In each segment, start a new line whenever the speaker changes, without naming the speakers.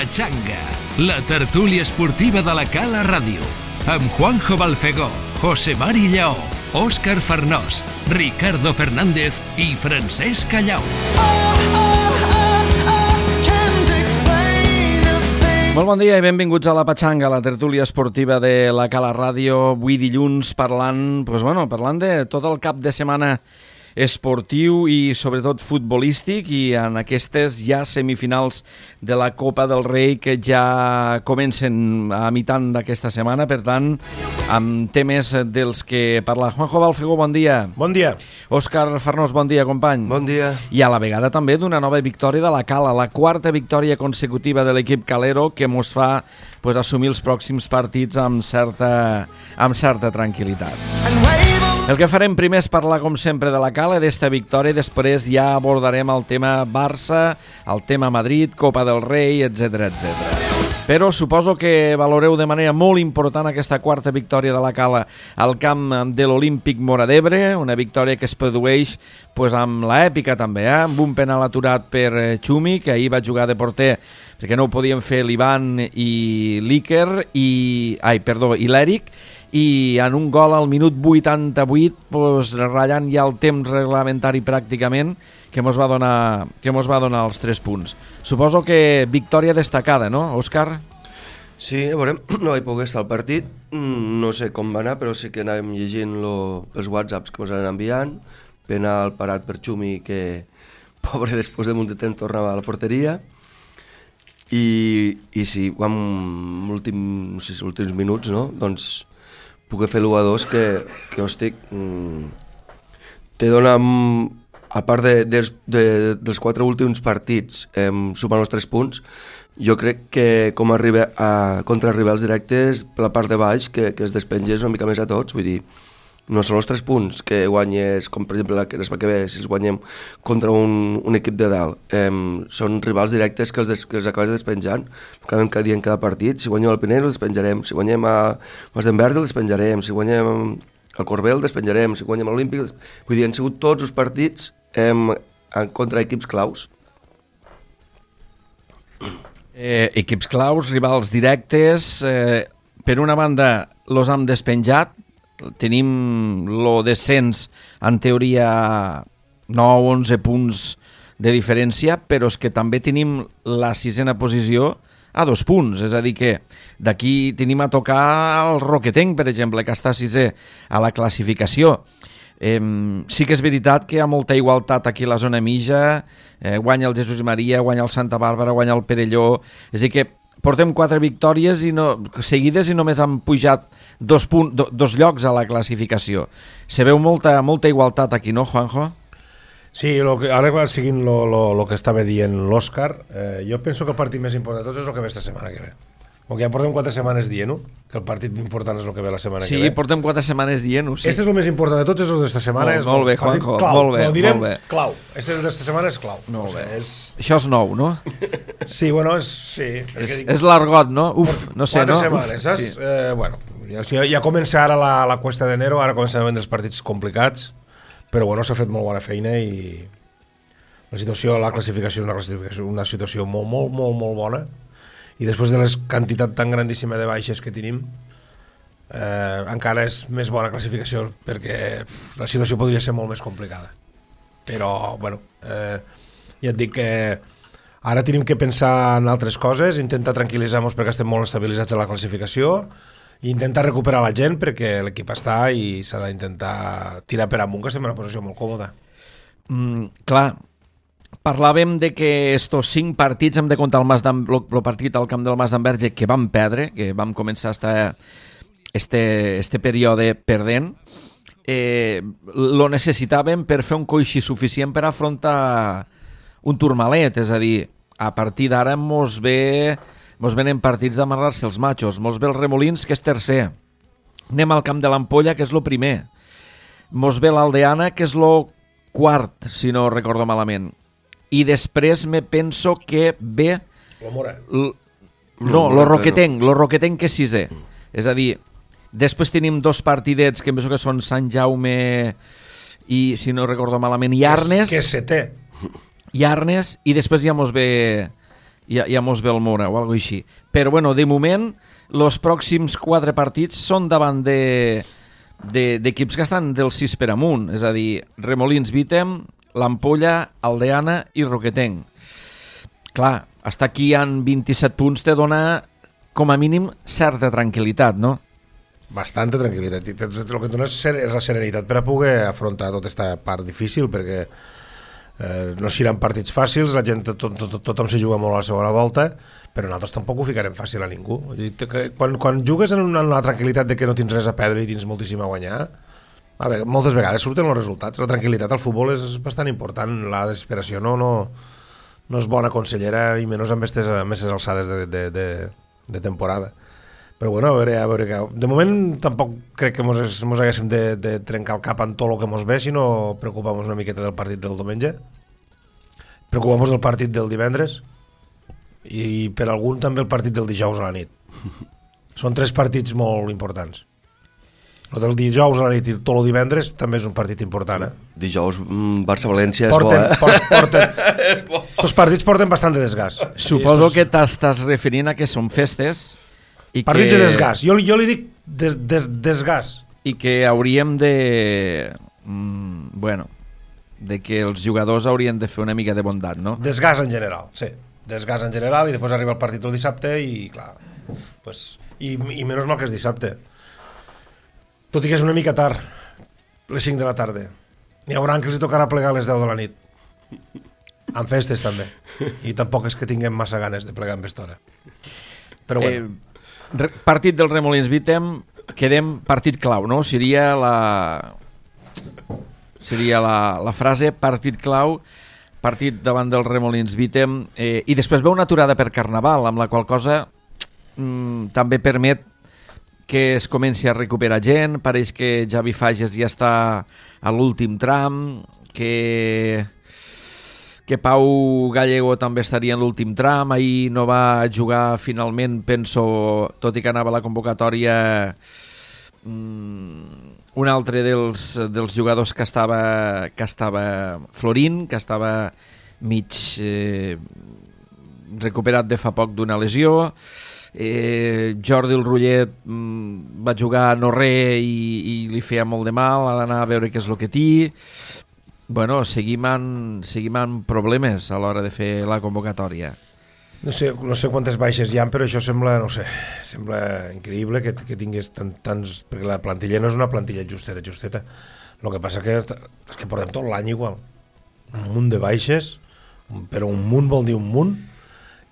Pachanga, la tertúlia esportiva de la Cala Ràdio, amb Juanjo Balfegó, José Mari Lleó, Òscar Farnós, Ricardo Fernández i Francesc Callau.
Molt bon dia i benvinguts a la Pachanga, la tertúlia esportiva de la Cala Ràdio. Avui dilluns parlant de tot el cap de setmana esportiu i sobretot futbolístic, i en aquestes ja semifinals de la Copa del Rei que ja comencen a mitant d'aquesta setmana, per tant, amb temes dels que parla. Juanjo Balfegó, bon dia.
Bon dia.
Òscar Farnós, bon dia, company.
Bon dia.
I a la vegada també d'una nova victòria de la Cala, la quarta victòria consecutiva de l'equip calero, que mos fa assumir els pròxims partits amb certa tranquil·litat. El que farem primer és parlar, com sempre, de la Cala, d'esta victòria, i després ja abordarem el tema Barça, el tema Madrid, Copa del Rei, etc. Però suposo que valoreu de manera molt important aquesta quarta victòria de la Cala al camp de l'Olímpic Móra d'Ebre, una victòria que es produeix amb l'èpica també, amb un penal aturat per Xumi, que ahir va jugar de porter perquè no ho podien fer l'Ivan i l'Iker i l'Eric, i en un gol al minut 88, ratllant ja el temps reglamentari pràcticament, que mos va donar els 3 punts. Suposo que victòria destacada, no, Òscar?
Sí, a veure, no vaig poder estar al partit, no sé com va anar, però sí que anàvem llegint els whatsapps que ens anaven enviant, penal parat per Xumi, que, pobre, després de molt de temps tornava a la porteria, i sí, amb els últims minuts, no?, doncs poder fer l'1-2 que hòstic, te dona, a part dels 4 últims partits, sumant els 3 punts, jo crec que com contra rivals directes per la part de baix, que es despenges una mica més a tots, vull dir, no són els 3 punts que guanyes, com per exemple que ve, si els guanyem contra un equip de dalt, són rivals directes que els acabes despenjant, cada dia en cada partit. Si guanyem el Pinell, el despenjarem; si guanyem a Masdenverge, el despenjarem; si guanyem el Corbel, el despenjarem; si guanyem l'Olímpic... Vull dir, han sigut tots els partits contra equips claus.
Equips claus, rivals directes, per una banda los hem despenjat, tenim lo descens en teoria 9-11 punts de diferència, però és que també tenim la 6ª posició a 2 punts, és a dir que d'aquí tenim a tocar el Roquetenc, per exemple, que està 6è a la classificació. Sí que és veritat que hi ha molta igualtat aquí a la zona mitja, guanya el Jesús i Maria, guanya el Santa Bàrbara, guanya el Perelló, és a dir que portem 4 victòries seguides i només han pujat 2 llocs a la classificació. Se veu molta igualtat aquí, no, Juanjo?
Sí, ara seguint el que estava dient l'Òscar, jo penso que el partit més important de tots és el que ve esta setmana que ve. Com que ja portem 4 setmanes dient-ho, que el partit important és el que ve la setmana que ve.
Sí, portem 4 setmanes dient-ho, sí.
Este és el més important de tots, és el d'esta setmana.
Molt bé, Juanjo, molt bé.
Ho direm clau. Este d'esta setmana és clau.
Molt bé. Això és nou, no?
Sí, bueno,
és l'argot, no? No sé, no?
4 setmanes, saps? Bueno, ja comença ara la cuesta d'enero, ara comencen a vendre els partits complicats, però bueno, s'ha fet molt bona feina i la classificació és una situació molt, molt, molt, molt bona. I després de la quantitat tan grandíssima de baixes que tenim, encara és més bona classificació, perquè la situació podria ser molt més complicada. Però, bueno, ja et dic que ara tenim que pensar en altres coses, intentar tranquil·litzar-nos perquè estem molt estabilitzats a la classificació, i intentar recuperar la gent perquè l'equip està i s'ha d'intentar tirar per amunt, que estem en una posició molt còmoda.
Clar, parlàvem de que estos 5 partits hem de comptar el partit al camp del Masdenverge, que vam perdre, que vam començar este període perdent. Lo necessitàvem per fer un coixí suficient per afrontar un turmalet, és a dir, a partir d'ara mos venen partits d'amarrar-se els matxos, mos ve el Remolins, que és tercer, anem al camp de l'Ampolla, que és lo primer, mos ve l'Aldeana, que és lo quart, si no recordo malament, i després me penso que ve lo Roquetenc, que és 6è, és a dir, després tenim 2 partidets que em penso que són Sant Jaume i, si no recordo malament, i Arnes,
que és 7è,
i Arnes, i després ja mos ve ja mos ve el Mora o alguna així. Però, bueno, de moment, els pròxims 4 partits són davant d'equips que estan del 6 per amunt, és a dir, Remolins Vítem, l'Ampolla, Aldeana i Roquetenc. Clar, estar aquí en 27 punts te dona, com a mínim, certa tranquil·litat, no?
Bastanta tranquil·litat. El que et dona és la serenitat per a poder afrontar tota aquesta part difícil, perquè no seran partits fàcils, la gent, tothom se juga molt a la segona volta, però nosaltres tampoc ho ficarem fàcil a ningú. Quan jugues en una tranquil·litat de que no tens res a perdre i tens moltíssim a guanyar, a veure, moltes vegades surten els resultats. La tranquil·litat al futbol és bastant important, la desesperació no és bona consellera, i menys amb aquestes alçades de temporada. Però bueno, a veure què. De moment tampoc crec que mos haguéssim de trencar el cap en tot el que mos ve, sinó preocupar-nos una miqueta del partit del diumenge, preocupar-nos del partit del divendres i per algun també el partit del dijous a la nit. Són 3 partits molt importants. El del dijous a la nit i tot el divendres també és un partit important,
Dijous Barça-València és bo,
Estos partits porten bastant de desgast.
Suposo que t'estàs referint a que són festes i
partits
que...
de desgast. Jo li dic desgast.
I que hauríem de... bueno, de que els jugadors haurien de fer una mica de bondat, no?
Desgast en general, sí. Desgast en general, i després arriba el partit el dissabte i, clar, pues, i menys mal que és dissabte. Tot i que és una mica tard, les 5 de la tarda. N'hi haurà que els tocarà plegar a les 10 de la nit. Amb festes, també. I tampoc és que tinguem massa ganes de plegar amb aquesta hora. Però bueno.
Partit del Remolins Vítem, quedem partit clau, no? Seria la frase partit clau, partit davant del Remolins Vítem, i després ve una aturada per Carnaval, amb la qual cosa també permet que es comenci a recuperar gent. Pareix que Javi Fages ja està a l'últim tram, que Pau Gallego també estaria en l'últim tram. Ahir no va jugar finalment, penso, tot i que anava a la convocatòria, un altre dels jugadors que estava florint, que estava mig recuperat de fa poc d'una lesió. Jordi el Rullet va jugar no res i li feia molt de mal, ha d'anar a veure què és el que té. Bueno, seguim amb problemes a l'hora de fer la convocatòria.
No sé quantes baixes hi ha, però això sembla increïble que tingués tants... Perquè la plantilla no és una plantilla justeta. El que passa és que portem tot l'any igual. Un munt de baixes, però un munt vol dir un munt,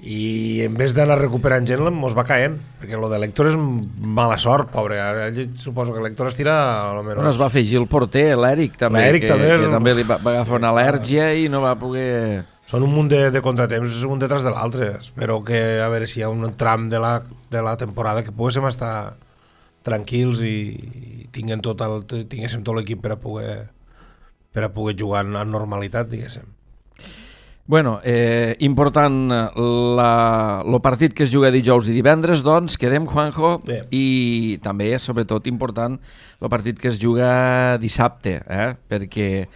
i en vez d'anar recuperant gent mos va caent, perquè lo de l'Héctor és mala sort, pobre. Ara suposo que l'Héctor es tira almenys...
Bueno, es va afegir el porter, l'Eric també, que també li va agafar una al·lèrgia i no va poder...
Són un munt de contratemps, un detrás de l'altre. Espero que, a veure si hi ha un tram de la temporada que poguéssim estar tranquils i tinguéssim tot l'equip per a poder jugar en normalitat, diguéssim.
Bueno, important el partit que es juga dijous i divendres, doncs, quedem, Juanjo, i també, sobretot, important el partit que es juga dissabte, perquè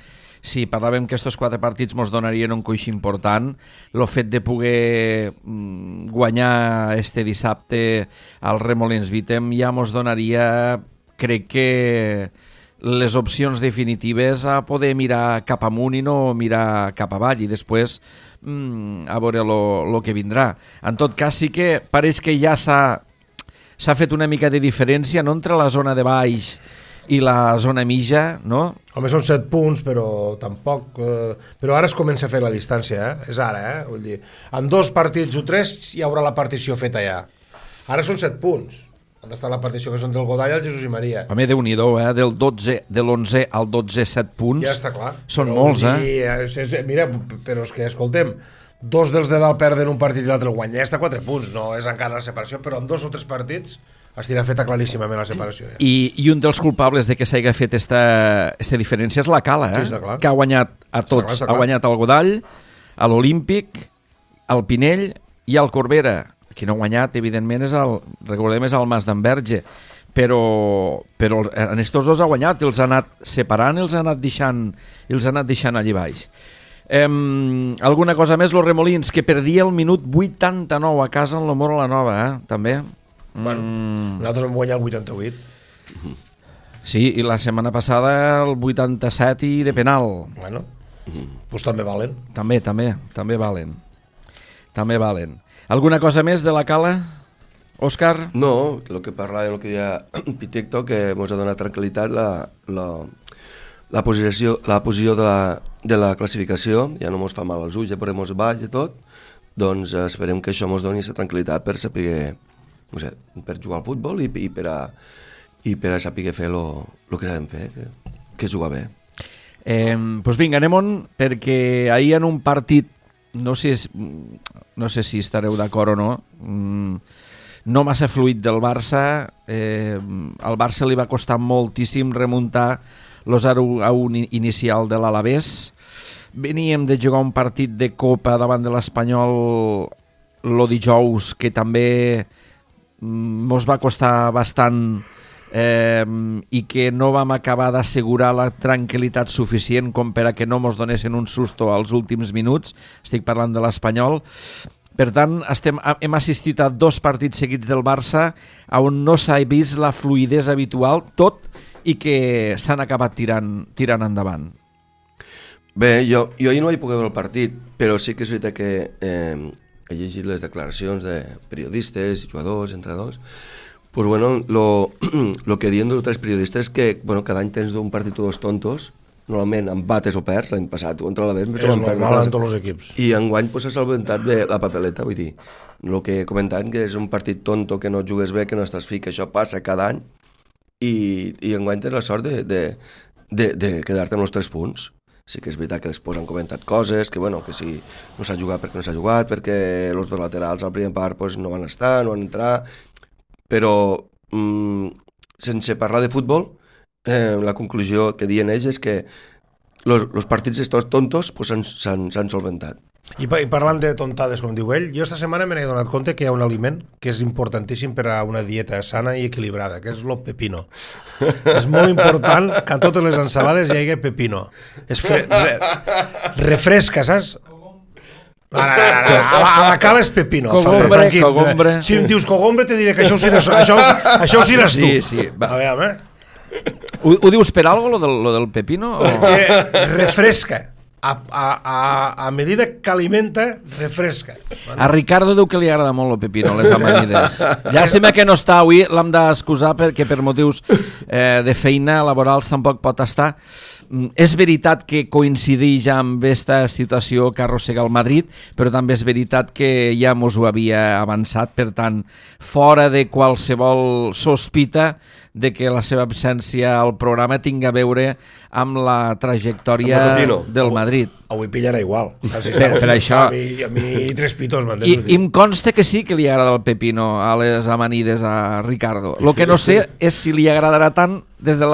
si parlàvem que aquests 4 partits ens donarien un coix important, el fet de poder guanyar este dissabte al Remolins Vítem ja ens donaria, crec que, les opcions definitives a poder mirar cap amunt i no mirar cap avall, i després a veure el que vindrà. En tot cas, sí que pareix que ja s'ha fet una mica de diferència, no, entre la zona de baix i la zona mitja, no?
Home, són 7 punts, però tampoc... però ara es comença a fer la distància, És ara, Vull dir, en 2 partits o 3 hi haurà la partició feta ja. Ara són 7 punts. Han d'estar la partició que són del Godall al Jesús i Maria.
Home, Déu-n'hi-do, de l'11 al 12, 7 punts.
Ja està clar.
Són molts,
Mira, però és que, escoltem, 2 dels de dalt perden un partit i l'altre el guanya. Ja està 4 punts, no és encara la separació, però en 2 o 3 partits estirà feta claríssimament la separació. Ja.
I un dels culpables de que s'hagi fet esta diferència és la Cala,
Sí, està clar.
Que ha guanyat a tots.
Està clar.
Ha guanyat al Godall, a l'Olímpic, al Pinell i al Corbera. Qui no ha guanyat, evidentment, recordem, és el Mas d'Enverge, però en estos dos ha guanyat, els ha anat separant, els ha anat deixant allí baix. Alguna cosa més, los Remolins, que perdia el minut 89 a casa en l'Omoro la Nova, també.
Nosaltres hem guanyat el 88.
Sí, i la setmana passada el 87 i de penal.
Bueno, doncs també valen.
També valen. Alguna cosa més de la Cala, Òscar?
No, el que parlàvem, el que deia Pitecto, que ens ha donat tranquil·litat la posició de la classificació, ja no ens fa mal als ulls, ja podem baix i tot, doncs esperem que això ens doni aquesta tranquil·litat per saber, no sé, per jugar al futbol i per a saber fer el que sabem fer, que és jugar bé.
Doncs vinga, anem-on, perquè ahir en un partit, no sé si estareu d'acord o no, no massa fluid del Barça, al Barça li va costar moltíssim remuntar el 0-1 inicial de l'Alavés. Veníem de jugar un partit de Copa davant de l'Espanyol el dijous, que també mos va costar bastant i que no vam acabar d'assegurar la tranquil·litat suficient com per a que no mos donessin un susto als últims minuts. Estic parlant de l'Espanyol. Per tant, hem assistit a 2 partits seguits del Barça on no s'ha vist la fluïdesa habitual, tot i que s'han acabat tirant endavant.
Bé, jo ahir no vaig poder veure el partit, però sí que és veritat que he llegit les declaracions de periodistes, jugadors, entrenadors. Pues bueno, lo que diuen 2 o 3 periodistes que cada any tens un partit o 2 tontos, normalment empates o perds. L'any passat contra l'Alavés
és normal en tots els equips,
i enguany s'ha solventat bé la papeleta. Vull dir, el que he comentat, que és un partit tonto, que no jugues bé, que no estàs fi, que això passa cada any, i enguany tens la sort de quedar-te amb els 3 punts. Sí que és veritat que després han comentat coses, que si no s'ha jugat perquè no s'ha jugat, perquè els 2 laterals al primer part no van estar, no van entrar, però sense parlar de futbol, la conclusió que diuen ells és que els partits estos tontos s'han solventat.
I parlant de tontades, com diu ell, jo esta setmana me n'he donat compte que hi ha un aliment que és importantíssim per a una dieta sana i equilibrada, que és el pepino. És molt important que a totes les ensalades hi hagi pepino. Refresca, saps? A la Cala és pepino.
Cogombre.
Si em dius cogombre te diré que això ho seràs tu.
Sí, va.
A veure,
Ho dius per algo, lo del pepino?
Refresca. A medida que alimenta, refresca.
A Ricardo diu que li agrada molt el pepino, les amanides. Llàstima que no està avui, l'hem d'excusar perquè per motius de feina laborals tampoc pot estar. És veritat que coincideix amb aquesta situació que arrossega el Madrid, però també és veritat que ja mos ho havia avançat, per tant, fora de qualsevol sospita de que la seva absència al programa tingui a veure amb la trajectòria del Madrid.
Avui pillarà igual.
Per això...
A mi 3 pitos,
I em consta que sí que li agrada el pepino a les amanides a Ricardo. El que no sé és si li agradarà tant des de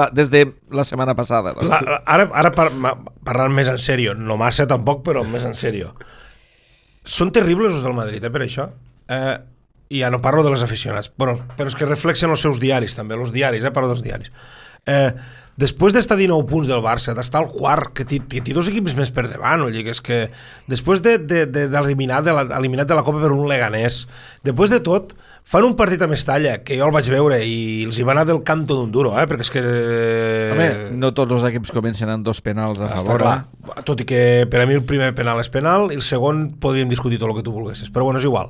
la setmana passada.
Ara parlant més en sèrio, no massa tampoc, però més en sèrio. Són terribles els del Madrid, per això. I ja no parlo de les aficionats, però és que reflexen els seus diaris també, els diaris, parlo dels diaris. Després d'estar 19 punts del Barça, d'estar al quart, que té 2 equips més per davant, és que després d'eliminat de la Copa per un Leganés, després de tot, fan un partit a Mestalla, que jo el vaig veure i els hi va anar del canto d'un duro, perquè és que...
Home, no tots els equips comencen amb 2 penals a favor.
Tot i que per a mi el primer penal és penal i el segon podríem discutir tot el que tu volguessis, però bueno, és igual.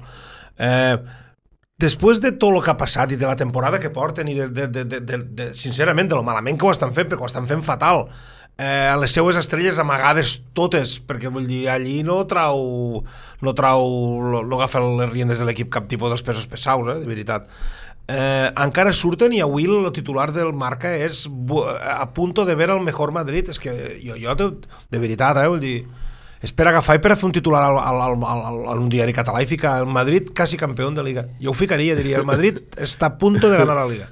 Després de tot el que ha passat i de la temporada que porten i sincerament de lo malament que ho estan fent, perquè ho estan fent fatal, les seues estrelles amagades totes, perquè vull dir, allí no agafa les riendes de l'equip cap tipus dels pesos pesaus, de veritat. Encara surten i avui el titular del Marca és a punto de ver el mejor Madrid. És que jo de veritat, vull dir, és per agafar i per fer un titular en un diari català i ficar el Madrid quasi campió de Liga. Jo ho ficaria, diria, el Madrid està a punto de ganar la Liga.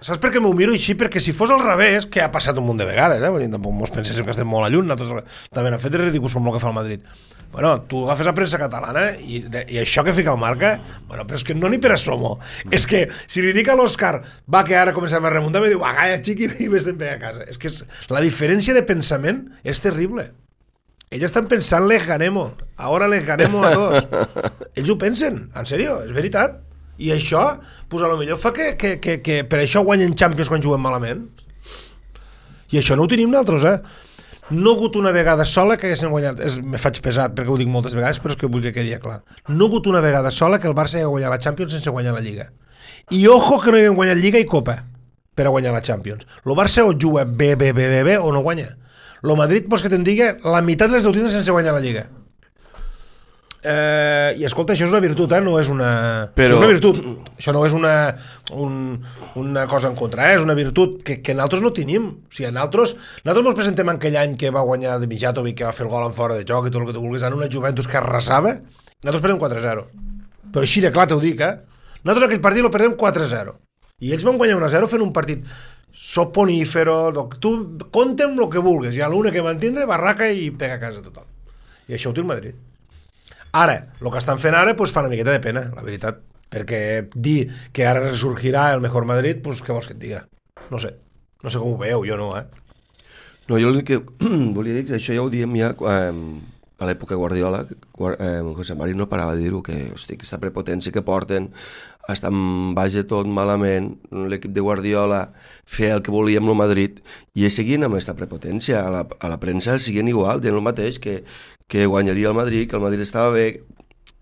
Saps per què m'ho miro així? Perquè si fos al revés, que ha passat un munt de vegades, tampoc mos penséssim que estem molt a lluny, nosaltres també hem fet ridículs com el que fa el Madrid, Bueno, tu agafes la premsa catalana i això que fica el Marca, bueno, però és que no ni per asomo. És que si li dic a l'Òscar, va, que ara comencem a remuntar, me diu, va, calla, xiqui, i vés-te'n bé a casa. És que la diferència de pensament és terrible. Ells estan pensant les ganemo, ara les ganemo a tots. Ells ho pensen, en sèrio, és veritat. I això, pues a lo millor fa que per això guanyen Champions quan juguen malament. I això no ho tenim nosaltres, No ha hagut una vegada sola que haguessin guanyat, me faig pesat perquè ho dic moltes vegades, però és que vull que quedi clar. No ha hagut una vegada sola que el Barça hagi guanyat la Champions sense guanyar la Lliga. I ojo que no haguem guanyat Lliga i Copa per a guanyar la Champions. El Barça o juga bé o no guanya. El Madrid, pues que te'n digui, la meitat les deu tindre sense guanyar la Lliga. I escolta, això és una virtut, no és una... Però... és una virtut, això no és una cosa en contra, és una virtut que nosaltres no tenim. O sigui, nosaltres ens presentem aquell any que va guanyar de Mijatovic, que va fer el gol en fora de joc i tot el que tu vulguis, en una Juventus que arrasava, nosaltres perdem 4-0. Però així de clar t'ho dic, nosaltres aquell partit el perdem 4-0 i ells van guanyar 1-0 fent un partit soponífero, tu compta'm el que vulguis, i a l'una que van tindre barraca i pega a casa tothom, i això ho té el Madrid. Ara, el que estan fent ara pues, fa una miqueta de pena, la veritat, perquè dir que ara resurgirà el mejor Madrid, pues, què vols que et diga? No sé com ho veu, jo no,
No, jo el que volia dir que això ja ho diem ja a l'època Guardiola, José Mari no parava de dir-ho, que hosti, aquesta prepotència que porten, estan baix de tot malament, l'equip de Guardiola feia el que volia amb el Madrid, i seguien amb aquesta prepotència, a la premsa seguien igual, dient el mateix, que guanyaria el Madrid, que el Madrid estava bé,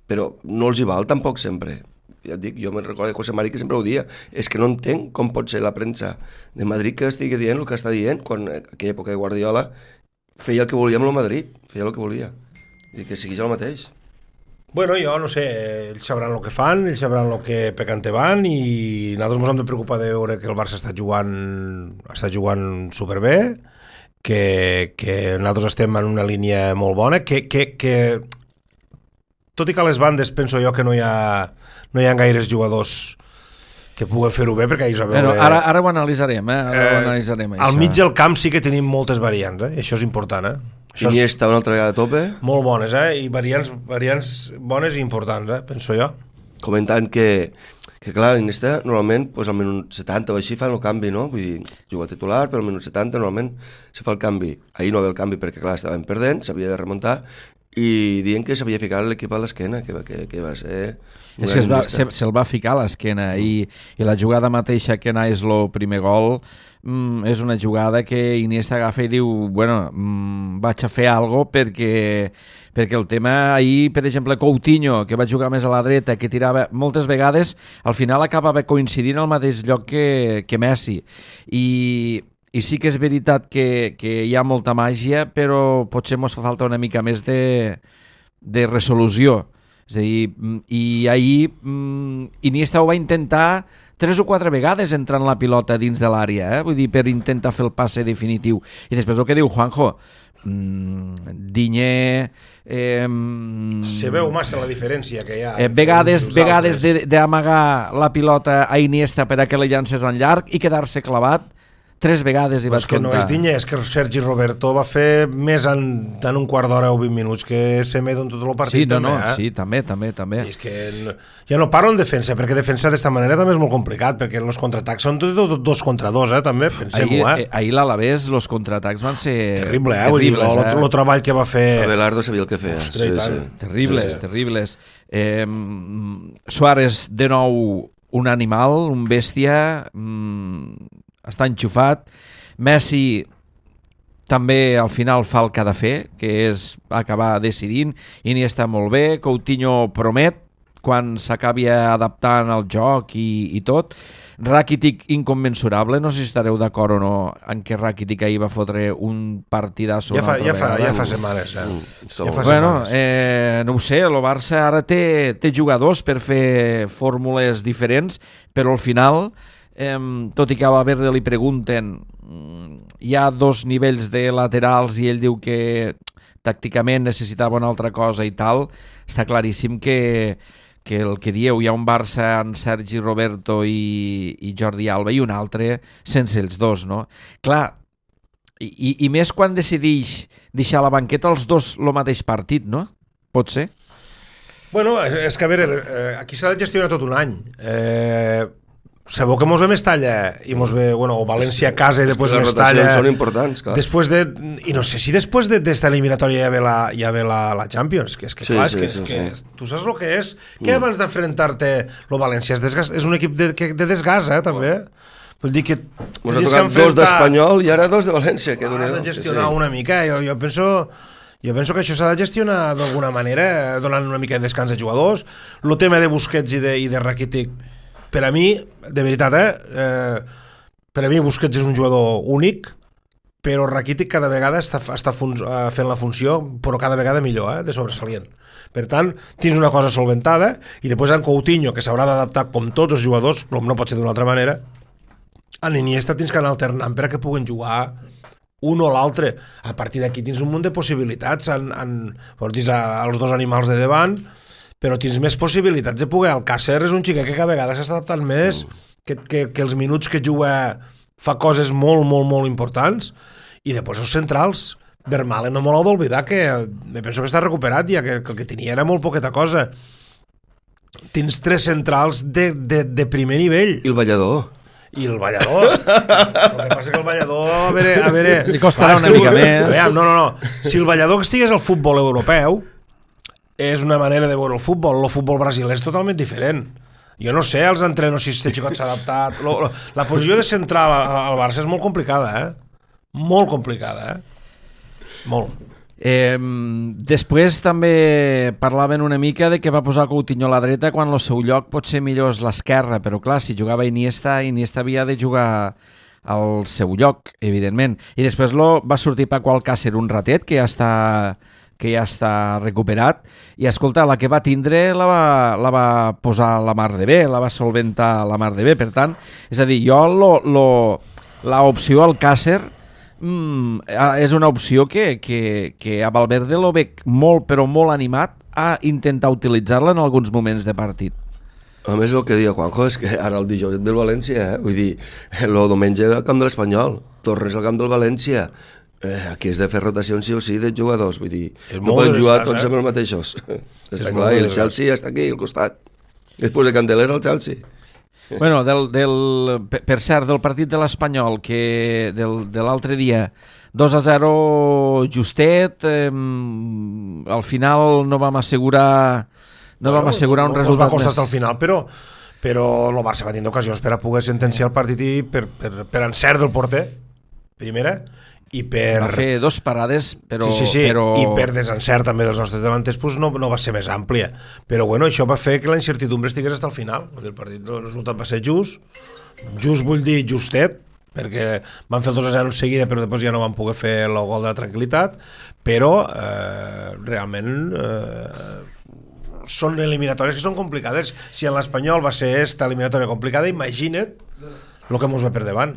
però no els hi val tampoc sempre. Ja et dic, jo me'n recordo de José Mari que sempre ho dia, és que no entenc com pot ser la premsa de Madrid que estigui dient el que està dient, quan en aquella època de Guardiola feia el que volia amb el Madrid, feia el que volia, i que segueix el mateix.
Bueno, jo no sé, ells sabran el que fan, ells sabran el que pecante van, i nosaltres ens hem de preocupar de veure que el Barça està jugant superbé, que nosaltres estem en una línia molt bona, que tot i que a les bandes penso jo que no hi ha gaires jugadors que puguen fer-ho bé, perquè a veure...
Ara ho analitzarem, això.
Al mig del camp sí que tenim moltes variants, i això és important,
Iniesta una altra vegada a tope.
Molt bones, i variants bones i importants, penso jo.
Comentant que clar, Iniesta normalment pues, al minut 70 o així fan el canvi, no? Vull dir, juga titular, però al minut 70 normalment se fa el canvi. Ahir no ve el canvi perquè clar, estaven perdent, s'havia de remuntar, i diuen que s'havia ficat l'equip a l'esquena, que va ser...
És que se'l va ficar a l'esquena, i la jugada mateixa que és el primer gol és una jugada que Iniesta agafa i diu, bueno, vaig a fer alguna cosa perquè el tema ahir, per exemple, Coutinho, que va jugar més a la dreta, que tirava moltes vegades, al final acabava coincidint al mateix lloc que Messi. I sí que és veritat que hi ha molta màgia, però potser ens fa falta una mica més de resolució. És a dir, i ahir Iniesta ho va intentar 3 o 4 vegades entrant la pilota dins de l'àrea, vull dir, per intentar fer el passe definitiu. I després el que diu Juanjo, Digne...
Se veu massa la diferència que hi ha.
Vegades d'amagar la pilota a Iniesta per a que la llances en llarg i quedar-se clavat 3 vegades i vaig comptar.
Que no és Digne, és que Sergi Roberto va fer més en un quart d'hora o 20 minuts que Semedo en tot el partit.
Sí, també. I
és que ja no parlo en defensa, perquè defensar d'esta manera també és molt complicat, perquè els contraatacs són tot 2 contra 2, també, pensem-ho.
Ahir l'Alavés, els contraatacs van ser...
Terrible, vull dir, el treball que va fer...
Abelardo sabia el que feia.
Terribles. Suárez, de nou, un animal, un bèstia... està enxufat. Messi també al final fa el que ha de fer, que és acabar decidint. Iniesta molt bé, Coutinho promet quan s'acabi adaptant al joc i tot. Rakitic inconmensurable, no sé si estareu d'acord o no en què Rakitic ahir va fotre un partidasso.
Ja fa setmanes.
No ho sé, el Barça ara té jugadors per fer fórmules diferents, però al final... tot i que a Valverde li pregunten, hi ha 2 nivells de laterals i ell diu que tàcticament necessitava una altra cosa i tal, està claríssim que el que dieu, hi ha un Barça en Sergi Roberto i Jordi Alba i un altre sense els dos, no? Clar, i més quan decideix deixar a la banqueta els dos el mateix partit, no? pot ser?
Bueno, és que a veure, aquí s'ha de gestionar tot un any. Sabeu que mos ve Mestalla i mos ve, bueno, o València a casa i després Mestalla.
Les rotacions són importants, clar.
Després de, i no sé si després d'esta eliminatòria ja ve la Champions, que és que
Sí,
clar,
sí,
és
sí.
que tu saps el que és? Que abans d'enfrontar-te lo València és un equip de desgast, també. Vull dir que
Mos ha tocat dos d'Espanyol i ara dos de València. Que
has de gestionar una mica. Jo penso que això s'ha de gestionar d'alguna manera, donant una mica de descans a jugadors. El tema de Busquets i de Rakitic, per a mi, de veritat, per a mi Busquets és un jugador únic, però Rakitic cada vegada està fent la funció, però cada vegada millor, de sobresalient. Per tant, tens una cosa solventada, i després en Coutinho, que s'haurà d'adaptar com tots els jugadors, com no pot ser d'una altra manera, en Iniesta tens que anar alternant per a que puguen jugar un o l'altre. A partir d'aquí tens un munt de possibilitats, tens els dos animals de davant, però tens més possibilitats de poder. Alcácer és un xiquet que cada vegada s'està adaptant més, que els minuts que juga fa coses molt, molt, molt importants, i després els centrals, Vermaelen no me l'heu d'oblidar, que me penso que està recuperat ja, que el que tenia era molt poqueta cosa. Tens 3 centrals de primer nivell.
I el ballador.
I el ballador. El que passa que el ballador, a veure...
Li costarà una mica més.
No. Si el ballador que estigués al futbol europeu, és una manera de veure el futbol brasilè és totalment diferent. Jo no sé, els entrenos, si este xicot s'ha adaptat... La posició de central al Barça és molt complicada, Molt complicada, Molt.
Després també parlaven una mica de que va posar Coutinho a la dreta quan el seu lloc potser millor és l'esquerra, però clar, si jugava Iniesta havia de jugar al seu lloc, evidentment. I després va sortir Paco Alcácer un ratet, que ja està recuperat, i escolta, la que va tindre la va posar la mar de bé, la va solventar la mar de bé. Per tant, és a dir, jo l'opció Alcácer és una opció que a Valverde lo veig molt, però molt animat a intentar utilitzar-la en alguns moments de partit.
A més, el que deia Juanjo és que ara el dijous ve el València, vull dir, el diumenge al camp de l'Espanyol, tornes al camp del València, aquí has de fer rotacions sí o sí de jugadors, vull dir, no poden jugar tots amb els mateixos. Està clar, i el Chelsea està aquí al costat. Després de Candelera el Chelsea.
Bueno, per cert, del partit de l'Espanyol, que de l'altre dia, 2-0 justet, al final no vam assegurar un resultat
va costar
més.
al final, però el Barça va tenir ocasions per a poder sentenciar el partit i per encert del porter, primera, i per...
Va fer 2 parades, però...
Sí, i per desencert també dels nostres delanters pues no va ser més àmplia. Però bueno, això va fer que la incertidumbre estigués fins al final. El partit, el resultat va ser just vull dir justet, perquè van fer el 2-0 en seguida, però després ja no van poder fer el gol de la tranquil·litat, però realment són eliminatòries que són complicades. Si en l'Espanyol va ser esta eliminatòria complicada, imagina't el que mos ve per davant,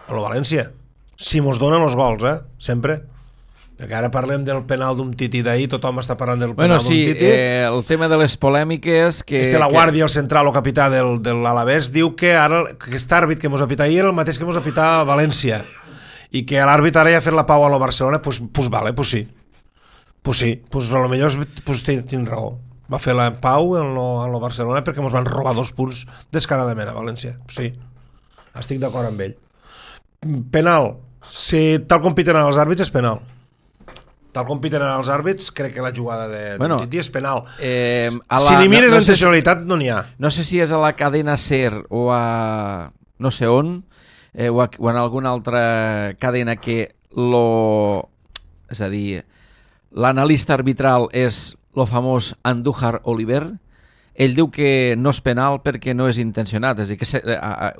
a lo València. Si mos donen els gols, sempre. Perquè ara parlem del penal d'un Titi d'ahir, tothom està parlant del penal d'un Titi.
El tema de les polèmiques...
La Guàrdia, el central o capità de l'Alavés, diu que ara aquest àrbit que mos ha pitat ahir era el mateix que mos ha pitat a València, i que l'àrbit ara ja ha fet la pau a la Barcelona, pues vale, pues sí. Pues sí, pues a lo millor tinc raó. Va fer la pau a la Barcelona perquè mos van robar 2 punts descaradament a València. Sí, estic d'acord amb ell. Penal, si tal com piten els àrbits és penal. Tal com piten els àrbits, crec que la jugada de Titi és penal. Si li mires en intencionalitat no n'hi ha.
No sé si és a la cadena SER o a no sé on, o en alguna altra cadena que és a dir, l'analista arbitral és el famós Andújar Oliver. Ell diu que no és penal perquè no és intencionat, és a dir, que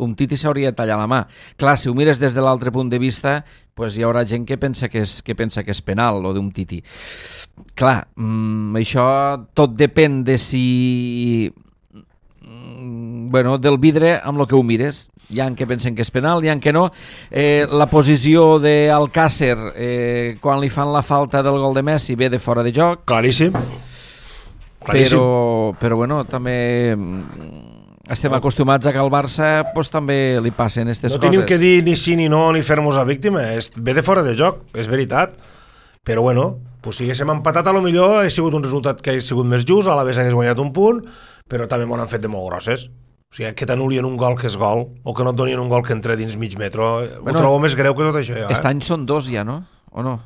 un Titi s'hauria de tallar la mà. Clar, si ho mires des de l'altre punt de vista, pues hi haurà gent que pensa que és penal, o d'un Titi. Clar, això tot depèn de si... del vidre amb el que ho mires. Hi ha que pensen que és penal, hi ha que no. La posició d'Alcácer, quan li fan la falta del gol de Messi, ve de fora de joc.
Claríssim.
Però bueno, també estem acostumats a que al Barça pues, també li passen aquestes coses.
No tenim que dir ni sí ni no ni fer-nos a víctima, ve de fora de joc, és veritat, Però bueno, pues si haguéssim empatat a lo millor ha sigut un resultat que ha sigut més just, a la vegada hagués guanyat un punt, però també m'ho han fet de molt grosses. O sigui, que t'anul·lien un gol que és gol, o que no et donien un gol que entra dins mig metro, ho trobo més greu que tot això.
Aquest any són 2 ja, no? O no?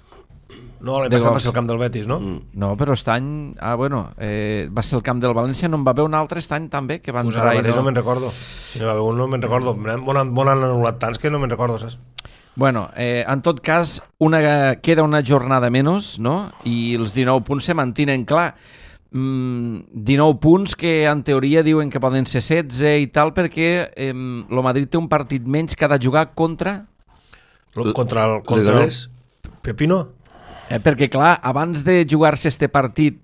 No, l'any passat va ser el camp del Betis, no?
No, però aquest any... va ser el camp del València, no en va haver un altre aquest any també, que va
Pues
entrar
ara mateix
i
no me'n recordo. Si no va haver un no me'n recordo. M'ho han anul·lat tants que no me'n recordo, saps?
Bueno, en tot cas, queda una jornada menys, no? I els 19 punts se mantenen, clar. 19 punts que en teoria diuen que poden ser 16 i tal, perquè el Madrid té un partit menys que ha de jugar contra
Contra el
Pepino.
Perquè clar, abans de jugar-se este partit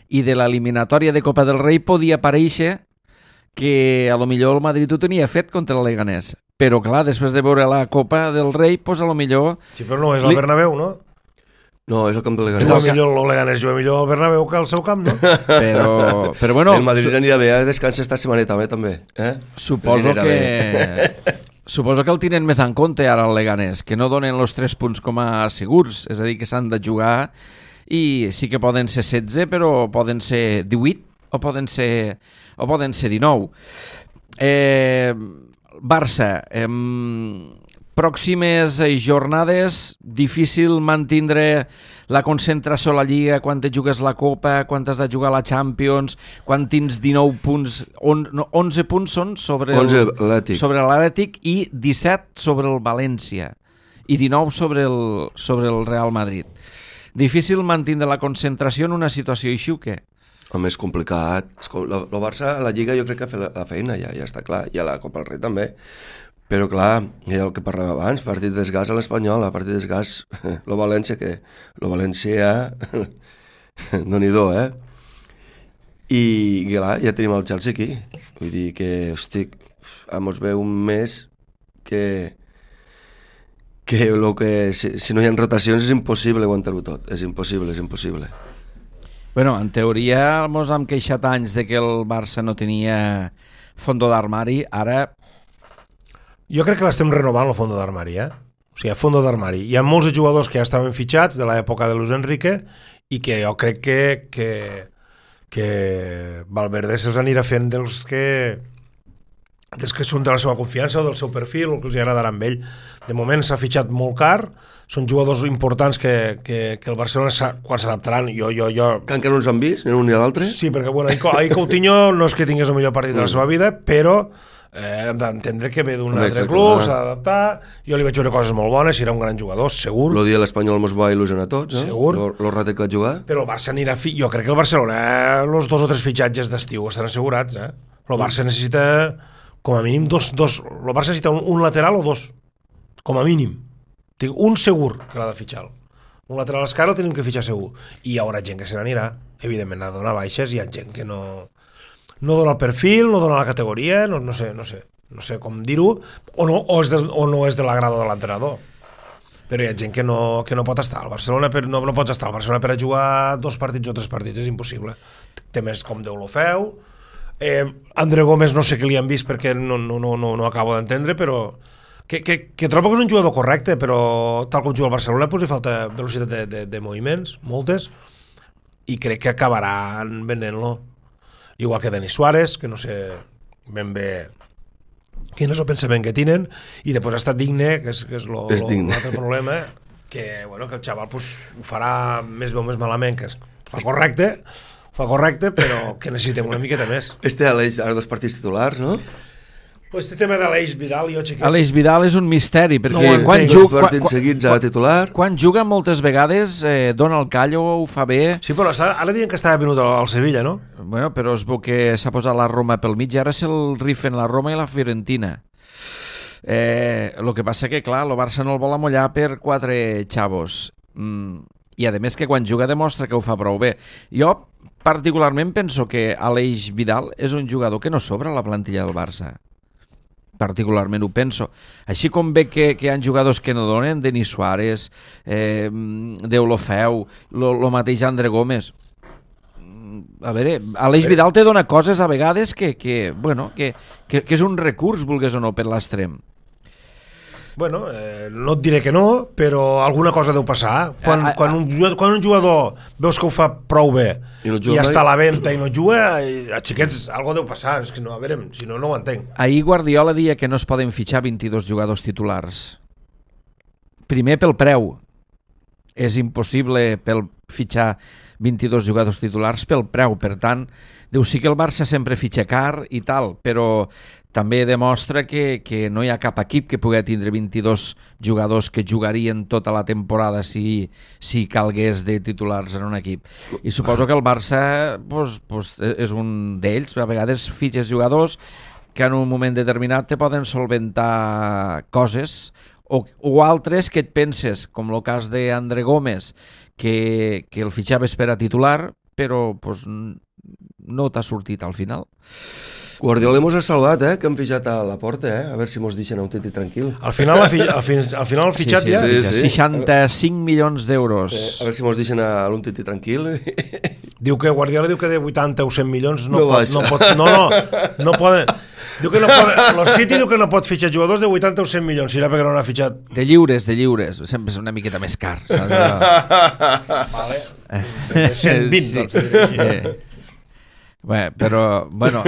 i de l'eliminatòria de Copa del Rei podia aparèixer que a lo millor el Madrid ho tenia fet contra el Leganés, però clar, després de veure la Copa del Rei, pues a lo millor...
Sí, però no és el Bernabéu, no?
No, és el camp del Leganés.
El Leganés juga millor al Bernabéu que al seu camp, no?
Però bueno...
El Madrid anirà bé, descansa esta setmaneta també, eh?
Suposo que el tenen més en compte ara el Leganés, que no donen els 3 punts com a segurs, és a dir, que s'han de jugar i sí que poden ser 16, però poden ser 18 o poden ser 19. Barça, pròximes jornades, difícil mantindre la concentració a la Lliga quan te jugues la Copa, quan has de jugar la Champions, quan tens 19 punts, 11 punts són sobre l'Atlètic i 17 sobre el València i 19 sobre el Real Madrid. Difícil mantindre la concentració en una situació així o què?
Home, és complicat. El Barça a la Lliga jo crec que ha fet la feina, ja està clar, i a la Copa del Rei també. Però clar, el que parlàvem abans, partit d'esgàs a l'Espanyol, partit d'esgàs, el València, Déu-n'hi-do, I clar, ja tenim el Chelsea aquí. Vull dir que, hosti, ens ve un mes que si no hi ha rotacions és impossible aguantar-ho tot. És impossible.
Bueno, en teoria ens hem queixat anys de que el Barça no tenia fondo d'armari, ara...
Jo crec que l'estem renovant el fondo d'armari, O sigui, fondo d'armari. Hi ha molts jugadors que ja estaven fitxats de l'època de Luis Enrique i que jo crec que Valverde se'ls anirà fent dels que són de la seva confiança o del seu perfil o que els agradarà amb ell. De moment s'ha fitxat molt car, són jugadors importants que el Barcelona quan s'adaptaran
que encara no ens han vist, ni un ni l'altre.
Sí, perquè bueno, ahir Coutinho no és que tingués el millor partit de la seva vida, però hem d'entendre que ve d'un altre club, s'ha d'adaptar. Jo li vaig veure coses molt bones, serà un gran jugador, segur.
El dia de l'Espanyol mos va il·lusionar a tots,
segur.
El ratet que va jugar.
Però el Barça anirà... Jo crec que el Barcelona, els 2 o 3 fitxatges d'estiu estan assegurats, El Barça necessita, com a mínim, dos. El Barça necessita un lateral o 2, com a mínim. Tinc un segur que l'ha de fitxar. Un lateral esquerre el tenim que fitxar segur. I hi haurà gent que se n'anirà. Evidentment, ha de donar baixes, hi ha gent que no dona el perfil, no dona la categoria, no sé com dir-ho, o no és de l'agrado de l'entrenador. Però hi ha gent que no pot estar al Barcelona, no pots estar al Barcelona per a jugar 2 partits o 3 partits, és impossible. Té més com Déu lo feu. André Gómez no sé què li han vist perquè no acabo d'entendre, però que trobo que és un jugador correcte, però tal com juga el Barcelona pues li falta velocitat de moviments, moltes, i crec que acabaran venent-lo. Igual que Denis Suárez, que no sé ben bé quin és el pensament que tenen, i després ha estat digne, que és l'altre problema, que el xaval pues, ho farà més bé o més malament, que fa correcte, però que necessitem una miqueta més.
Aleix, ara 2 partits titulars, no?
Pues este tema d'Aleix Vidal,
Aleix Vidal és un misteri, perquè quan juga moltes vegades dona el callo, ho fa bé.
Sí, però ara diuen que estava venut al Sevilla, no?
Bueno, però es veu que s'ha posat la Roma pel mig, ara se'l rifen la Roma i la Fiorentina. El que passa que, clar, el Barça no el vol amollar per 4 xavos. I a més que quan juga demostra que ho fa prou bé. Jo particularment penso que Aleix Vidal és un jugador que no sobra a la plantilla del Barça. Particularment ho penso. Així com ve que hi ha jugadors que no donen, Denis Suárez, Déu lo feu, lo mateix André Gómez. A veure, Aleix Vidal te dona coses a vegades que és un recurs, vulgues o no, per l'extrem.
Bueno, no et diré que no, però alguna cosa deu passar. Quan un jugador veus que ho fa prou bé i està a la venda i no juga, a xiquets, algo deu passar. És que no, a veure, si no, no ho entenc.
Ahir Guardiola deia que no es poden fitxar 22 jugadors titulars. Primer pel preu. És impossible fitxar 22 jugadors titulars pel preu. Per tant, deu sí que el Barça sempre fitxa car i tal, però també demostra que no hi ha cap equip que pugui tindre 22 jugadors que jugarien tota la temporada si calgués de titulars en un equip. I suposo que el Barça és un d'ells. A vegades fitxes jugadors que en un moment determinat te poden solventar coses o altres que et penses, com el cas d'André Gómez, que el fitxaves per a titular, però no t'ha sortit al final.
Guardiola mos ha salvat, que hem fitxat a la porta, a veure si mos deixen un titi tranquil.
Al final el fitxat ja...
Sí.
65 milions d'euros.
A veure si mos deixen a un titi tranquil.
Diu que Guardiola diu que de 80 o 100 milions no poden... Diu que no pot, el City diu que no pot fitxar jugadors de 80 o 100 milions, serà perquè no n'ha fitxat.
De lliures, sempre és una miqueta més car.
Vale. De 120, doncs.
Bé, però, bueno,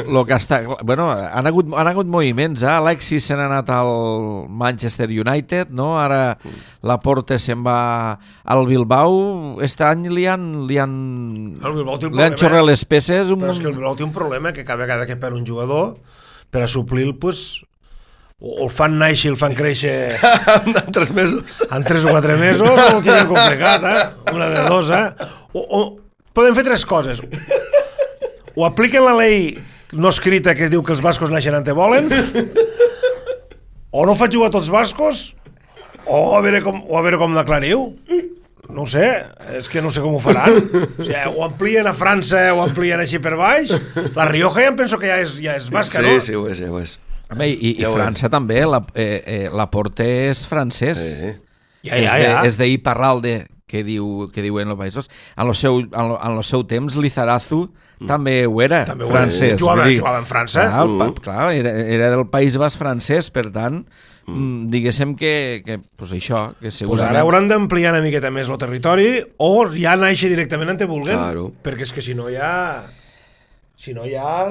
lo que està... Bueno, han hagut moviments, Alexis se n'ha anat al Manchester United, no? Ara Laporte se'n va al Bilbao. Este any li han xorrat les peces.
Però és que el Bilbao té un problema, que cada vegada que perd un jugador, per a suplir-lo, o el fan néixer, el fan créixer...
En 3 mesos.
En 3 o 4 mesos, o ho tenen complicat, Una de dos, O poden fer 3 coses. O apliquen la llei no escrita que diu que els bascos naixen on te volen, o no faig jugar tots bascos, o a veure com declariu. No ho sé, és que no sé com ho faran. O sigui, o amplien a França o amplien així per baix. La Rioja ja em penso que ja és basca, no?
Sí, ho és.
Home, i França també, Laporte és francès.
Sí.
Ja.
És de Iparralde, que diuen els països. En el seu temps, Lizarazu també ho era, francès.
Jugava en França.
Clar, era del País Basc francès, per tant, diguéssim que pues això, que segurament...
Ara hauran d'ampliar una miqueta més el territori o ja naixer directament on te vulguen,
claro.
Perquè és que si no ja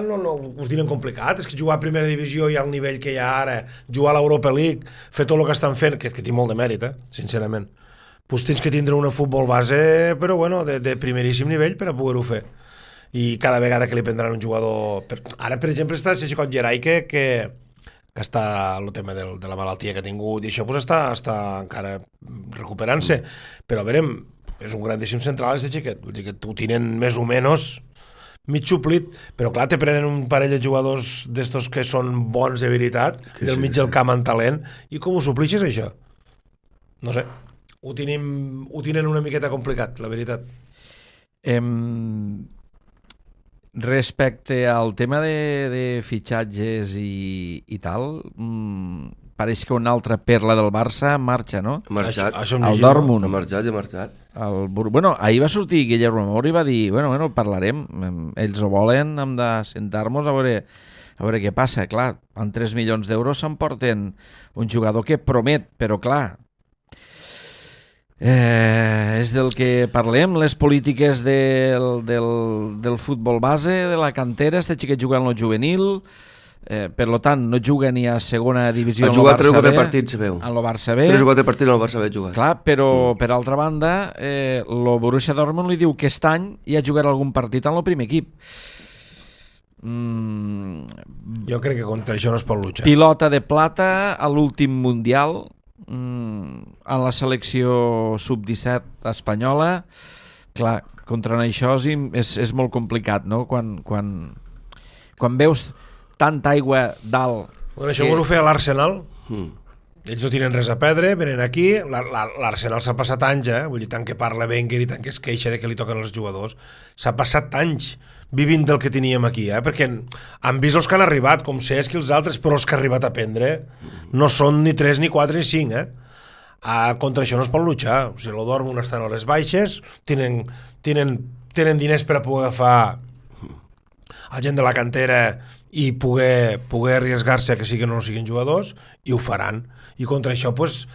no us diuen complicat. És que jugar a primera divisió i al nivell que hi ha ara, jugar a l'Europa League, fer tot el que estan fent, que té molt de mèrit, sincerament. Pues tens que tindre un futbol base, però bueno, de primeríssim nivell per a poder-ho fer. I cada vegada que li prendran un jugador... Ara, per exemple, està Xicot Gerai, que està el tema de la malaltia que ha tingut i això pues està encara recuperant-se. Però a veure, és un grandíssim central aquest xiquet. Vull dir que ho tenen més o menys mig suplit, però clar, te prenen un parell de jugadors d'estos que són bons de veritat, del mig del camp en talent, i com ho suplixes això? No sé. Ho tenen una miqueta complicat, la veritat.
Respecte al tema de fitxatges i tal, pareix que una altra perla del Barça marxa, no?
Ha marxat.
El Dortmund.
Ha marxat.
Bueno, ahir va sortir Guillermo Mori i va dir, bueno, parlarem, ells ho volen, hem de sentar-nos a veure què passa. Clar, amb 3 milions d'euros s'emporten un jugador que promet, però clar, és del que parlem, les polítiques del futbol base, de la cantera. Este xiquet juga en el juvenil, per tant no juga ni a segona divisió en el Barça B. Ha jugat 3 o 4
partits, veu.
En el Barça B.
3 o 4 partits en el Barça B jugat.
Clar, però per altra banda el Borussia Dortmund li diu que aquest any ja jugarà algun partit en el primer equip.
Jo crec que contra això no es pot luchar.
Pilota de plata a l'últim Mundial, en la selecció sub-17 espanyola. Clar, contra això és molt complicat, no? Quan veus tanta aigua dalt...
Bueno, això ho feia l'Arsenal. Ells no tenen res a perdre, venen aquí. L'Arsenal s'ha passat anys, vull dir, tant que parla Wenger i tant que es queixa de que li toquen els jugadors. S'ha passat anys vivint del que teníem aquí, perquè han vist els que han arribat, com Cesc i els altres, però els que han arribat a prendre no són ni 3, ni 4, ni 5, contra això no es pot luchar. O sigui, el Dortmund estan a les baixes, tenen diners per a poder agafar a gent de la cantera i poder arriesgar-se a que sí que no siguin jugadors, i ho faran. I contra això, pues,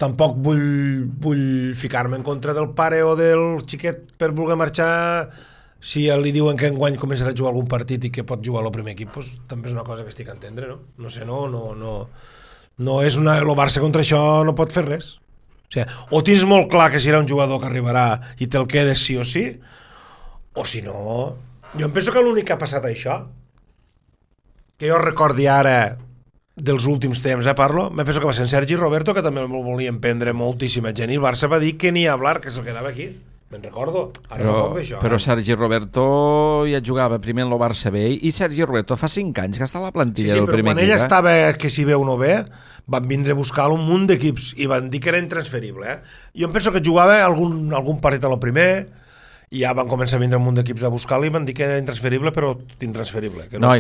tampoc vull ficar-me en contra del pare o del xiquet per voler marxar. Si li diuen que enguany començarà a jugar algun partit i que pot jugar al primer equip, pues, també és una cosa que estic a entendre, no? No sé, no és una... El Barça contra això no pot fer res. O sigui, o tens molt clar que serà un jugador que arribarà i te'l quedes sí o sí, o si no... Jo em penso que l'únic que ha passat això, que jo recordi ara dels últims temps, parlo, me penso que va ser en Sergi Roberto, que també el volien prendre moltíssima gent, i el Barça va dir que ni hablar, que se'l quedava aquí. Me'n recordo, ara fa poc d'això.
Però Sergi Roberto ja jugava primer en el Barça B, i Sergi Roberto fa 5 anys que està a la plantilla del primer equip.
Sí, però quan ell estava, que si bé o no bé, van vindre a buscar un munt d'equips i van dir que era intransferible. Jo em penso que jugava algun partit a lo primer, i ja van començar a vindre un munt d'equips a buscar-lo i van dir que era intransferible, però intransferible, que no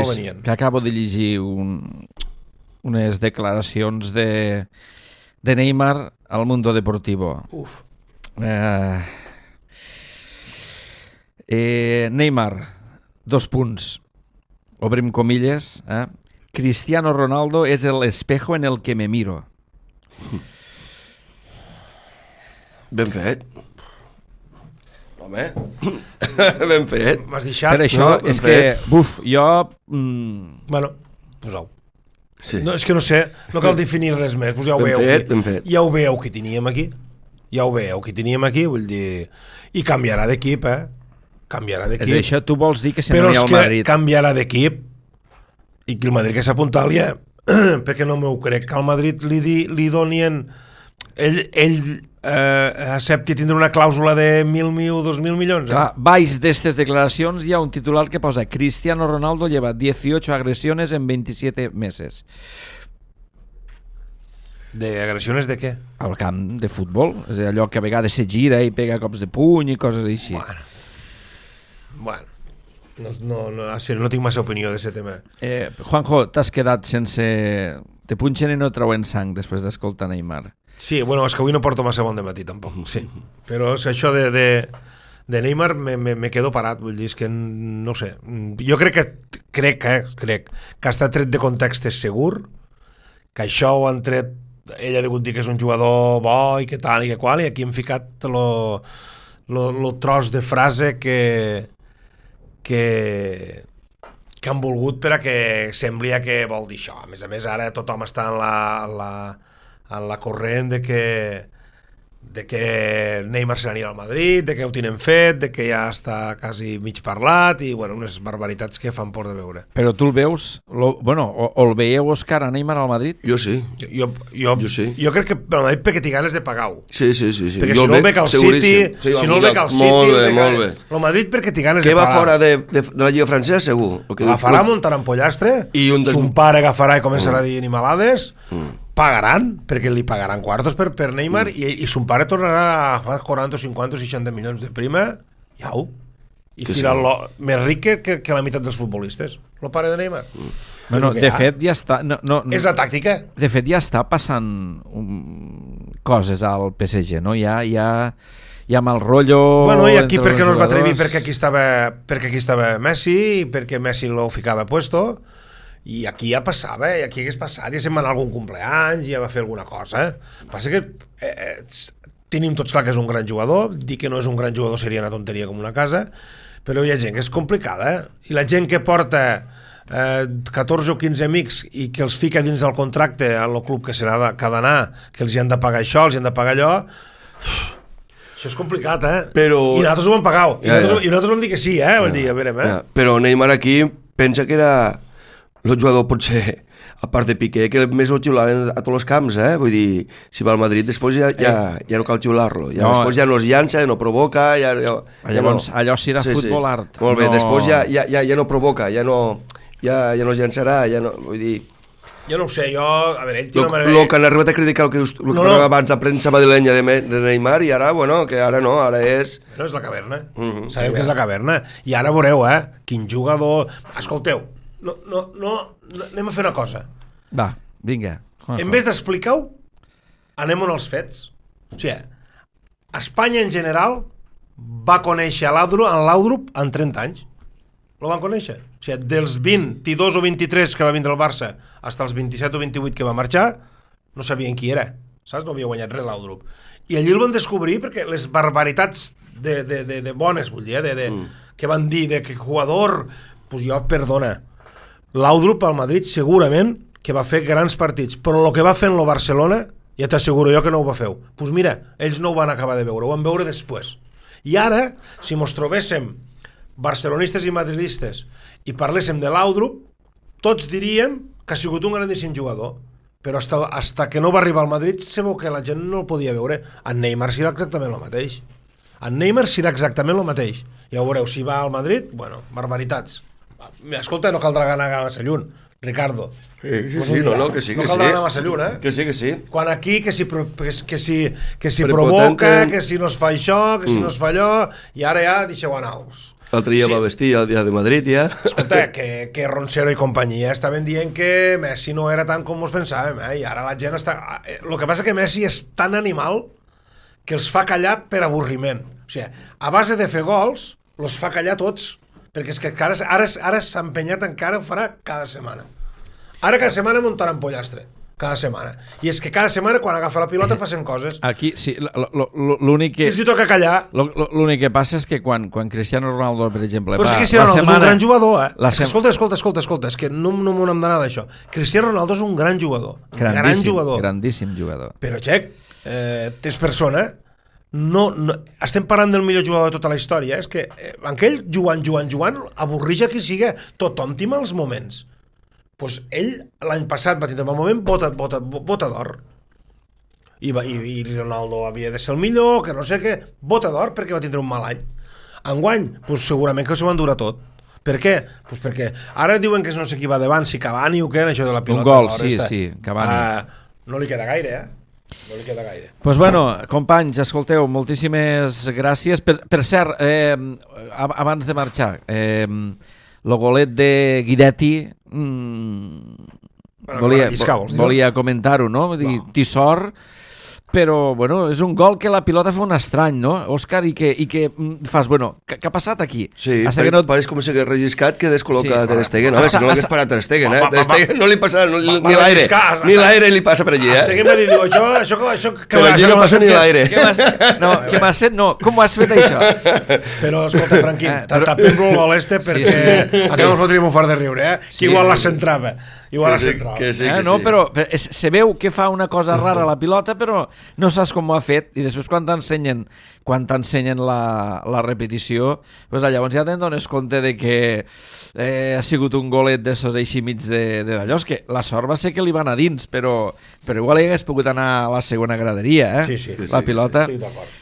venien.
Que acabo de llegir unes declaracions de Neymar al Mundo Deportivo.
Uf.
Neymar, 2 punts, obrim comilles, Cristiano Ronaldo es el espejo en el que me miro.
Ben fet. Home, ben fet.
M'has deixat...
Per això,
no,
és que, jo...
Bueno, posau.
Sí.
No, és que no sé, no cal definir res més, pues ja ho veieu.
Ben fet.
Ja ho veieu que teníem aquí. Vull dir... I canviarà d'equip, Canviarà d'equip.
És això, tu vols dir que se
però
n'anirà al Madrid.
Però és que canviarà d'equip i que el Madrid que s'apunta al perquè no m'ho crec, que al Madrid li donien... Ell accepti tindre una clàusula de 1.000 o 2.000 milions.
Clar, baix d'estes declaracions hi ha un titular que posa Cristiano Ronaldo lleva 18 agressiones en 27 meses.
¿De agressiones de què?
Al camp de futbol. És allò que a vegades se gira i pega cops de puny i coses així.
Bueno. No tinc massa opinió d'aquest tema.
Juanjo, t'has quedat sense... Te punxen i no treuen sang després d'escoltar Neymar.
Sí, bueno, és que avui no porto massa bon de matí tampoc, sí. Però és això de Neymar me quedo parat, vull dir, és que no sé. Jo crec que està tret de context és segur, que això ho han tret, ell ha degut dir que és un jugador bo i que tal i que qual, i aquí hem ficat lo tros de frase que han volgut per a que sembli que vol dir això. A més, ara tothom està en la corrent de que Neymar se n'anirà al Madrid, de que ho tenen fet, de que ja està quasi mig parlat i, bueno, unes barbaritats que fan por de veure.
Però tu el veus, o el veieu, Òscar, a Neymar al Madrid?
Jo sí.
Jo sí. Jo crec que al Madrid perquè té ganes de pagar-ho.
Sí.
Perquè si no el bec al City,
molt bé.
El Madrid perquè té ganes de
pagar.
Que
va fora de la Lliga Francesa, segur.
Agafarà, muntarà en pollastre, son pare agafarà i començarà a dir animalades, pagaran, perquè li pagaran quartos per Neymar, i son pare tornarà a 40, 50, 60 milions de prima, iau, i serà més ric que la meitat dels futbolistes, el pare de Neymar.
Bueno, de fet ja està...
És la tàctica.
De fet ja està passant coses al PSG, no? Hi ha mal rotllo...
Bueno, i aquí perquè no es va atrevir, perquè aquí estava Messi, i perquè Messi lo ficava puesto, i aquí ja passava, i aquí hagués passat, ja se'n va anar algun cumpleaños, ja va fer alguna cosa. Passa que tenim tots clar que és un gran jugador, dir que no és un gran jugador seria una tonteria com una casa, però hi ha gent que és complicada, i la gent que porta 14 o 15 amics i que els fica dins del contracte al club que ha d'anar, que els hi han de pagar això, els hi han de pagar allò, això és complicat,
Però...
I nosaltres ho vam pagar, i nosaltres vam dir que sí, Vull dir, a veure,
Però Neymar aquí pensa que era el jugador, potser, a part de Piqué, que més ho xiulaven a tots els camps, Vull dir, si va al Madrid, després ja no cal xiular-lo. Després ja no es llança, no provoca...
Llavors, allò serà futbol art.
Molt bé, després ja no provoca, ja no es llançarà, vull dir...
Jo no ho sé, a veure, ell té una manera...
El que han arribat a criticar el que abans la premsa madrilenya de Neymar, i ara, bueno, que ara no, ara és...
No, és la caverna, sabeu que és la caverna, i ara veureu, quin jugador... Escolteu, no, anem a fer una cosa.
Va, vinga.
En vez d'explicar-ho, anem on els fets. O sigui, Espanya en general va conèixer l'Audrup en 30 anys. lo van conèixer. O sigui, dels 22 o 23 que va vindre al Barça fins als 27 o 28 que va marxar, no sabien qui era, saps? No havia guanyat res l'Audrup. I allí el van descobrir perquè les barbaritats de bones, vull dir, que van dir, de que jugador, pues jo, perdona, l'Audrup al Madrid segurament que va fer grans partits, però el que va fer en el Barcelona, ja t'asseguro jo que no ho va fer. Pues mira, ells no ho van acabar de veure, ho van veure després. I ara, si mos trobéssim barcelonistes i madridistes i parléssim de l'Audrup, tots diríem que ha sigut un grandíssim jugador, però hasta que no va arribar al Madrid se veu que la gent no el podia veure. En Neymar serà exactament el mateix. En Neymar serà exactament el mateix. Ja ho veureu, si va al Madrid, bueno, barbaritats. Escolta, no caldrà anar massa lluny, Ricardo.
Sí, no, que sí, que sí.
No caldrà anar massa lluny,
Que sí.
Quan aquí, que si provoca, que si no es fa això, que si no es fa allò, i ara ja deixeu anar-vos.
L'altre dia va vestir el dia de Madrid, ja.
Escolta, que Roncero i companyia estaven dient que Messi no era tant com ens pensàvem, i ara la gent està... El que passa que Messi és tan animal que els fa callar per avorriment. O sigui, a base de fer gols, els fa callar tots, perquè és que ara s'ha empenyat encara, ho farà cada setmana. Ara cada setmana muntarà en pollastre. Cada setmana. I és que cada setmana quan agafa la pilota passen coses.
Aquí, sí, l'únic que...
I els hi toca callar.
L'únic que passa és que quan Cristiano Ronaldo, per exemple...
Però és que Cristiano Ronaldo és un gran jugador, Escolta, és que no m'ho hem d'anar d'això. Cristiano Ronaldo és un gran jugador.
Grandíssim jugador.
Però, Xec, és persona... No, estem parlant del millor jugador de tota la història. És que aquell jugant, avorreix a qui siga. Tothom té mals moments. Pues ell l'any passat va tindre un moment bota d'or i Ronaldo havia de ser el millor, que no sé què, bota d'or perquè va tindre un mal any. Enguany, pues segurament que s'ho van durar tot. Per què? Pues perquè ara diuen que no sé qui va davant, si Cavani o què, això de la pilota.
Un gol, sí, Cavani.
No li queda gaire, No li queda gaire.
Pues bueno, companys, escolteu, moltíssimes gràcies. Per cert, abans de marxar, el golet de Guidetti volia comentar-ho, no? Dir sort, però bueno, és un gol que la pilota fa un estrany, no, Òscar, i que fas, bueno, què ha passat aquí?
Sí, pareix com si hagués relliscat que descol·loca Ter Stegen, no? Si no l'hagués parat Ter Stegen, Ter Stegen no li passa ni l'aire li passa per allí,
Stegen va dir, això
per allí no passa ni l'aire.
No, com ho has fet això?
Però, escolta, Franquín, tapem-lo el gol perquè acabem fotríem un fort de riure, que igual la centrava.
Que sí.
No, però se veu que fa una cosa rara a la pilota, però no saps com ho ha fet, i després quan t'ensenyen la repetició, pues llavors ja te'n dones compte de que ha sigut un golet d'essos així mig d'allò. Que la sort va ser que li va anar dins, però igual hi hagués pogut anar a la segona graderia, la pilota.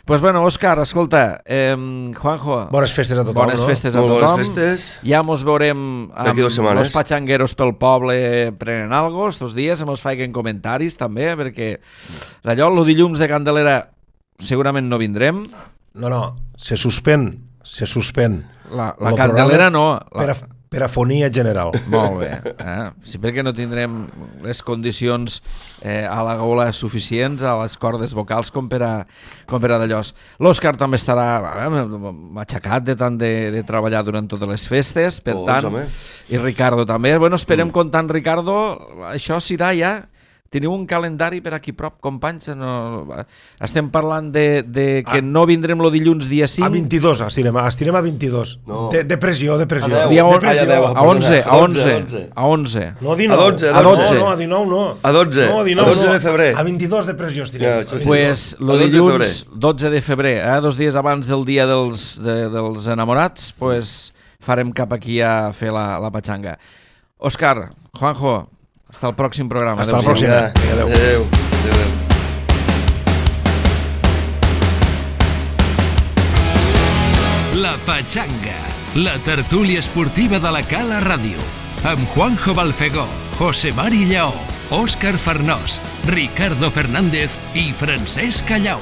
Pues bueno, Òscar, escolta, Juanjo,
bones festes a tothom.
Bones festes.
Ja mos veurem amb els patxangueros pel poble prenent algo estos dies, ens faiguen comentaris també, perquè allò, el dilluns de Candelera segurament no vindrem.
No, se suspèn
la Candelera no,
per afonia general.
Molt bé, sí, perquè no tindrem les condicions a la gola suficients, a les cordes vocals com per a d'allòs. L'Òscar també estarà matxacat de tant de treballar durant totes les festes, per tant, i Ricardo també. Bueno, esperem comptar amb Ricardo, això serà ja. Teniu un calendari per aquí prop, companys? Estem parlant de que no vindrem el dilluns dia 5?
A 22, estirem a 22. De pressió.
A 11. A 11.
No, a 19.
A 12.
No, a 19 no.
A 12.
No, a 19
a 12 de febrer.
A 22 de pressió estirem.
Pues el dilluns 12 de febrer, 2 dies abans del dia dels enamorats, pues farem cap aquí a fer la patxanga. Òscar, Juanjo, hasta el pròxim programa.
Hasta el pròxim.
Adéu.
La Patxanga, la tertúlia esportiva de la Cala Ràdio, amb Juanjo Balfegó, José Mari Lleó, Òscar Farnós, Ricardo Fernández i Francesc Callau.